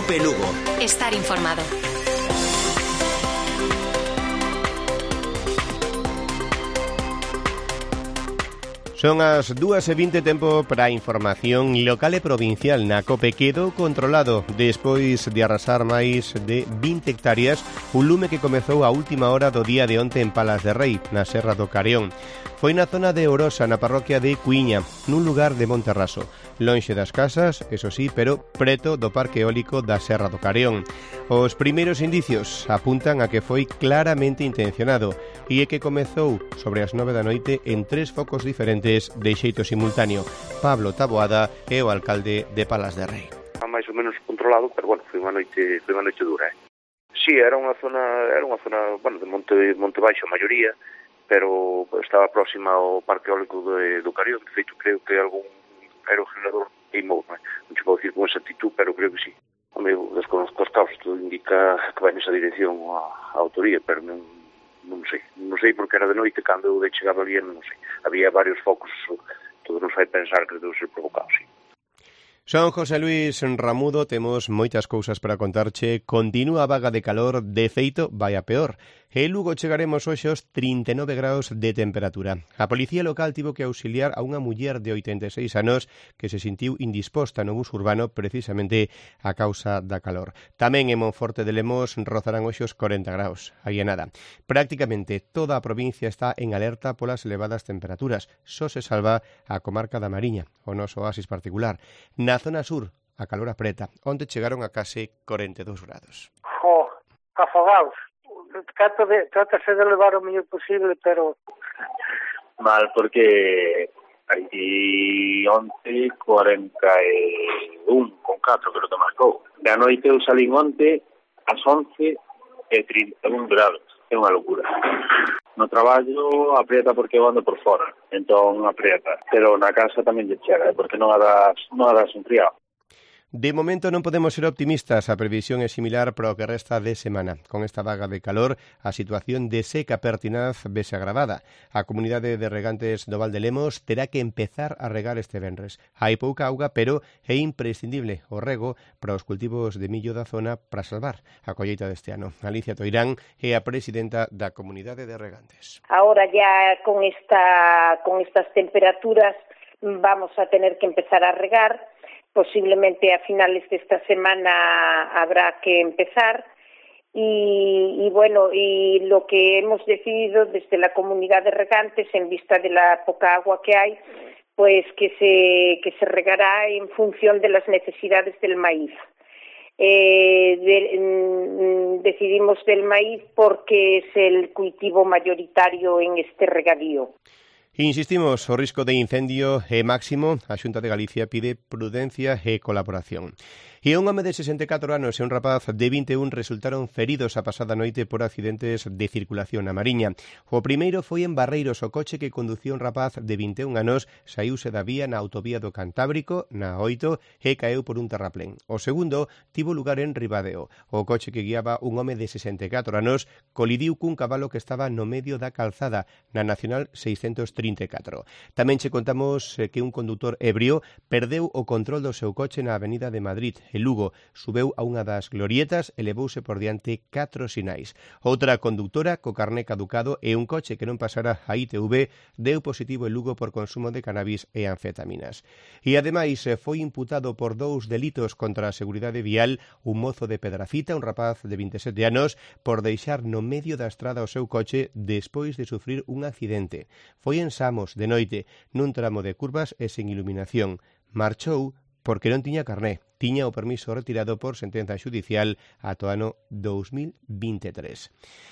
Cope Lugo. Estar informado. Son as 2:20, tempo para a información local e provincial na Cope. Quedou controlado despois de arrasar máis de 20 hectáreas un lume que comezou a última hora do día de onte en Palas de Rei, na Serra do Careón. Foi na zona de Orosa, na parroquia de Cuiña, nun lugar de Monterraso, lonxe das casas, eso sí, pero preto do parque eólico da Serra do Careón. Os primeiros indicios apuntan a que foi claramente intencionado e é que comezou sobre as 9 da noite en 3 focos diferentes de xeito simultáneo. Pablo Taboada é o alcalde de Palas de Rei. Máis ou menos controlado, pero bueno, foi unha noite dura. Sí, era unha zona, bueno, de monte baixo a maioría, pero estaba próxima ao parque eólico do Careón. De feito, creo que algún aerogenerador queimou, non se pode dicir con exactitud, pero creo que sí. Amigo, desconozco os caos, todo indica que vai nesa dirección a autoría, pero non sei porque era de noite, cando eu chegaba ali, non sei. Había varios focos, todo nos fai pensar que deu ser provocado, sí. Son José Luis Ramudo, temos moitas cousas para contarche. Continúa a vaga de calor, de feito, vai a peor. En Lugo chegaremos hoxe aos 39 graus de temperatura. A policía local tivo que auxiliar a unha muller de 86 anos que se sentiu indisposta no bus urbano precisamente a causa da calor. Tamén en Monforte de Lemos rozarán hoxe os 40 graus. Aí é nada. Prácticamente toda a provincia está en alerta polas elevadas temperaturas. Só se salva a comarca da Mariña, o noso oasis particular. Na zona sur, a calor apreta, onde chegaron a case 42 grados. Afogados. Trátase de levar o mellor posible, pero... Mal, porque aquí onte 41 con 4, creo que marcou. Da noite eu salín onte ás 11 e 31 grados. É unha locura. No traballo aprieta porque eu ando por fora, entón aprieta. Pero na casa tamén lle chega, porque non a das un friado. De momento non podemos ser optimistas, a previsión é similar para o que resta de semana. Con esta vaga de calor, a situación de seca pertinaz vese agravada. A comunidade de regantes do Val de Lemos terá que empezar a regar este venres. Hai pouca auga, pero é imprescindible o rego para os cultivos de millo da zona para salvar a colleita deste ano. Alicia Toirán é a presidenta da comunidade de regantes. Ahora ya con estas temperaturas vamos a tener que empezar a regar. Posiblemente a finales de esta semana habrá que empezar y bueno, y lo que hemos decidido desde la comunidad de regantes, en vista de la poca agua que hay, pues que se regará en función de las necesidades del maíz. Decidimos del maíz porque es el cultivo mayoritario en este regadío. Insistimos, o risco de incendio é máximo. A Xunta de Galicia pide prudencia e colaboración. E un home de 64 anos e un rapaz de 21 resultaron feridos a pasada noite por accidentes de circulación na Mariña. O primeiro foi en Barreiros, o coche que conducía un rapaz de 21 anos saíuse da vía na autovía do Cantábrico, na 8, e caeu por un terraplén. O segundo tivo lugar en Ribadeo. O coche que guiaba un home de 64 anos colidiu cun cabalo que estaba no medio da calzada, na Nacional 634. Tamén che contamos que un condutor ebrio perdeu o control do seu coche na Avenida de Madrid, en Lugo. Subeu a unha das glorietas e levouse por diante 4 sinais. Outra condutora co carné caducado e un coche que non pasara a ITV deu positivo en Lugo por consumo de cannabis e anfetaminas. E ademais foi imputado por 2 delitos contra a seguridade vial un mozo de Pedrafita, un rapaz de 27 anos, por deixar no medio da estrada o seu coche despois de sufrir un accidente. Foi en Samos, de noite, nun tramo de curvas e sen iluminación. Marchou porque non tiña carné. Tiña o permiso retirado por sentenza xudicial ata o ano 2023.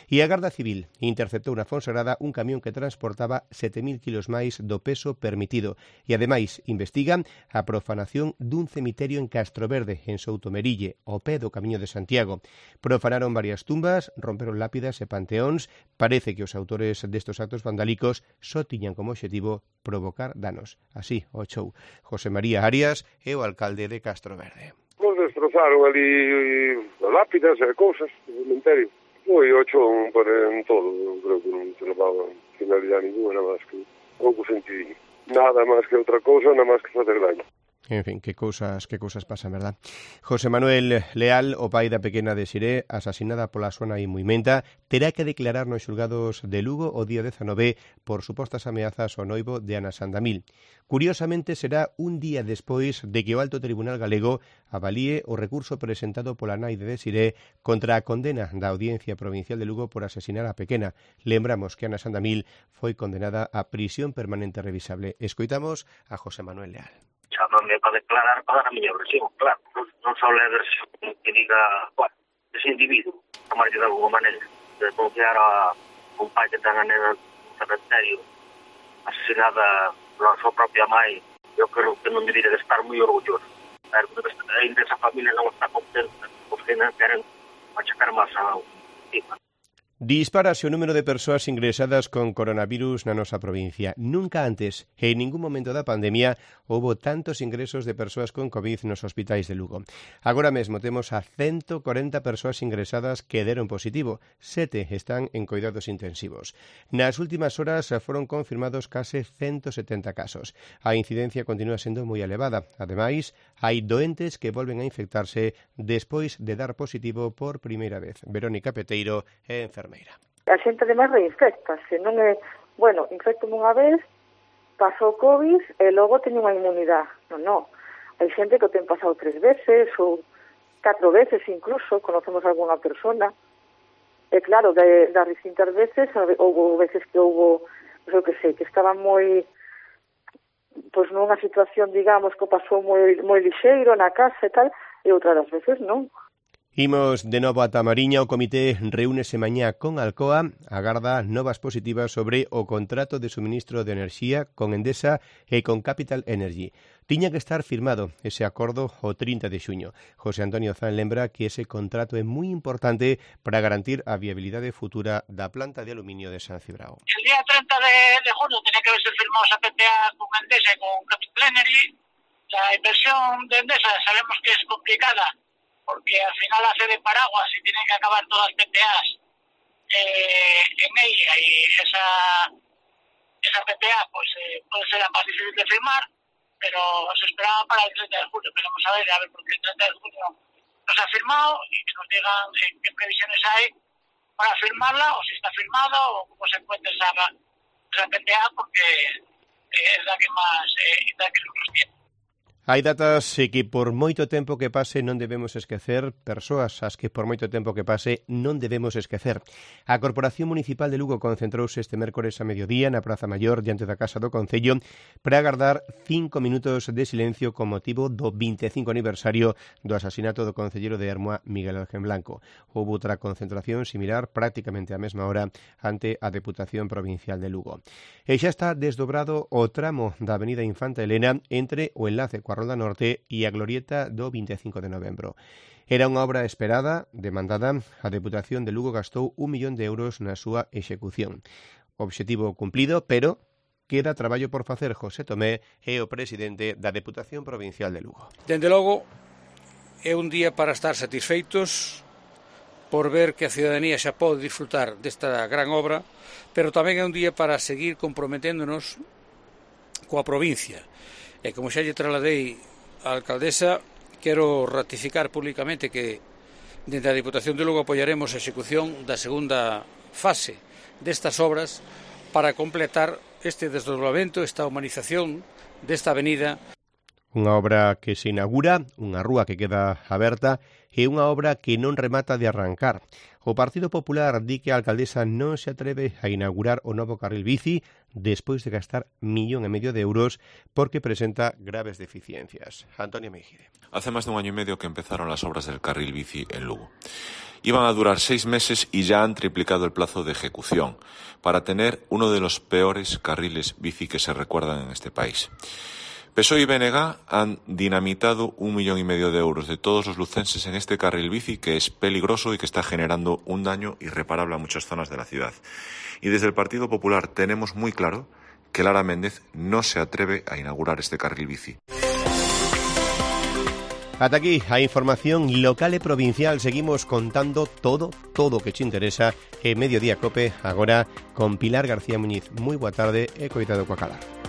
E a Garda Civil interceptou na Fonsagrada un camión que transportaba 7.000 kilos máis do peso permitido e, ademais, investigan a profanación dun cemiterio en Castroverde, en Soutomerille, ao pé do Camiño de Santiago. Profanaron varias tumbas, romperon lápidas e panteóns. Parece que os autores destos actos vandálicos só tiñan como obxectivo provocar danos. Así o chou José María Arias é o alcalde de Castroverde. Nos destrozaron ali lápidas e cousas do cementerio. Foi o chón en todo, creo que non se levaba finalidade ninguna, nada máis que pouco sentido. Nada máis que outra cousa, nada máis que facer daño. En fin, que cousas pasan, verdad? José Manuel Leal, o pai da pequena Desiré, asasinada pola súa nai Muimenta, terá que declarar nos xulgados de Lugo o día 19 por supostas ameazas ao noivo de Ana Sandamil. Curiosamente, será un día despois de que o Alto Tribunal Galego avalíe o recurso presentado pola nai de Desiré contra a condena da Audiencia Provincial de Lugo por asesinar a pequena. Lembramos que Ana Sandamil foi condenada a prisión permanente revisable. Escoitamos a José Manuel Leal. Chámame para declarar, para dar a miña versión, claro. Non só é a versión que diga, bueno, ese individuo, tomarlle de alguma maneira, de denunciar a un pai que ten a nena no cementerio, asesinada pola súa propia mãe, eu creo que non debería de estar moi orgulloso. Ainda esa familia non está contenta, porque non queren machacar máis a víctima. Dispárase o número de persoas ingresadas con coronavirus na nosa provincia. Nunca antes, en ningún momento da pandemia, houbo tantos ingresos de persoas con COVID nos hospitais de Lugo. Agora mesmo temos a 140 persoas ingresadas que deron positivo. 7 están en cuidados intensivos. Nas últimas horas foron confirmados case 170 casos. A incidencia continúa sendo moi elevada. Ademais, hai doentes que volven a infectarse despois de dar positivo por primeira vez. Verónica Peteiro é enfermeira. A xente ademais reinfectase, non é, bueno, infectome unha vez, pasou COVID e logo teño unha inmunidade. Non. Hai xente que o ten pasado 3 veces ou 4 veces incluso, conocemos algunha persona. E claro, das distintas veces, houve veces que houve, non sei, que estaban moi, pois nunha situación, digamos, que pasou moi lixeiro na casa e tal, e outras das veces non. Imos de novo a Tamariña. O comité reúnese mañá con Alcoa, agarda novas positivas sobre o contrato de suministro de enerxía con Endesa e con Capital Energy. Tiña que estar firmado ese acordo o 30 de xuño. José Antonio Zan lembra que ese contrato é moi importante para garantir a viabilidade futura da planta de aluminio de San Cibrao. El día 30 de junio tenía que haberse firmado esa PPA con Endesa e con Capital Energy. La inversión de Endesa sabemos que es complicada, porque al final hace de paraguas y tienen que acabar todas las PPAs en ella, y esa PPA pues puede ser la más difícil de firmar, pero se esperaba para el 30 de junio. Veremos a ver porque el 30 de junio no se ha firmado, y que nos digan qué previsiones hay para firmarla, o si está firmado, o cómo se encuentra esa PPA, porque es la que más nos tiene. Hai datas que por moito tempo que pase non debemos esquecer, persoas as que por moito tempo que pase non debemos esquecer. A Corporación Municipal de Lugo concentrouse este mércores a mediodía na Praza Maior diante da Casa do Concello para agardar 5 minutos de silencio con motivo do 25 aniversario do asasinato do concelleiro de Ermua, Miguel Ángel Blanco. Houve outra concentración similar prácticamente á mesma hora ante a Deputación Provincial de Lugo. E xa está desdobrado o tramo da Avenida Infanta Elena entre o enlace coa Rolda Norte e a glorieta do 25 de novembro. Era unha obra esperada, demandada. A Deputación de Lugo gastou 1 millón de euros na súa execución. Obxectivo cumplido, pero queda traballo por facer. José Tomé é o presidente da Deputación Provincial de Lugo. Dende logo, é un día para estar satisfeitos por ver que a ciudadanía xa pode disfrutar desta gran obra, pero tamén é un día para seguir comprometéndonos coa provincia. E como xa lle trasladei á alcaldesa, quero ratificar públicamente que dentro da Diputación de Lugo apoiaremos a execución da segunda fase destas obras para completar este desdobramento, esta humanización desta avenida. Unha obra que se inaugura, unha rúa que queda aberta e unha obra que non remata de arrancar. O Partido Popular di que a alcaldesa non se atreve a inaugurar o novo carril bici despois de gastar 1,5 millón de euros porque presenta graves deficiencias. Antonio Mejide. Hace más de 1 año y medio que empezaron las obras del carril bici en Lugo. Iban a durar 6 meses y ya han triplicado el plazo de ejecución para tener uno de los peores carriles bici que se recuerdan en este país. PSOE y BNG han dinamitado 1,5 millón de euros de todos los lucenses en este carril bici que es peligroso y que está generando un daño irreparable a muchas zonas de la ciudad. Y desde el Partido Popular tenemos muy claro que Lara Méndez no se atreve a inaugurar este carril bici. Ata aquí a información local e provincial. Seguimos contando todo que te interesa en Mediodía Cope, agora con Pilar García Muñiz. Moi boa tarde e coitado coa calar.